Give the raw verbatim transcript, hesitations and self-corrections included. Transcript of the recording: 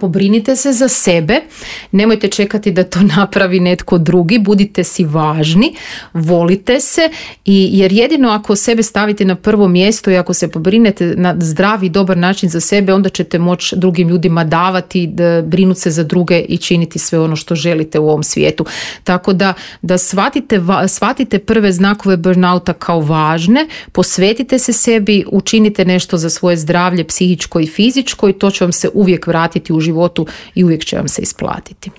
Pobrinite se za sebe, nemojte čekati da to napravi netko drugi, budite si važni, volite se i jer jedino ako sebe stavite na prvo mjesto i ako se pobrinete na zdravi i dobar način za sebe, onda ćete moći drugim ljudima davati, da brinuti se za druge i činiti sve ono što želite u ovom svijetu. Tako da, da shvatite, shvatite prve znakove burnouta kao važne, posvetite se sebi, učinite nešto za svoje zdravlje psihičko i fizičko i to će vam se uvijek vratiti u životu i uvijek će vam se isplatiti.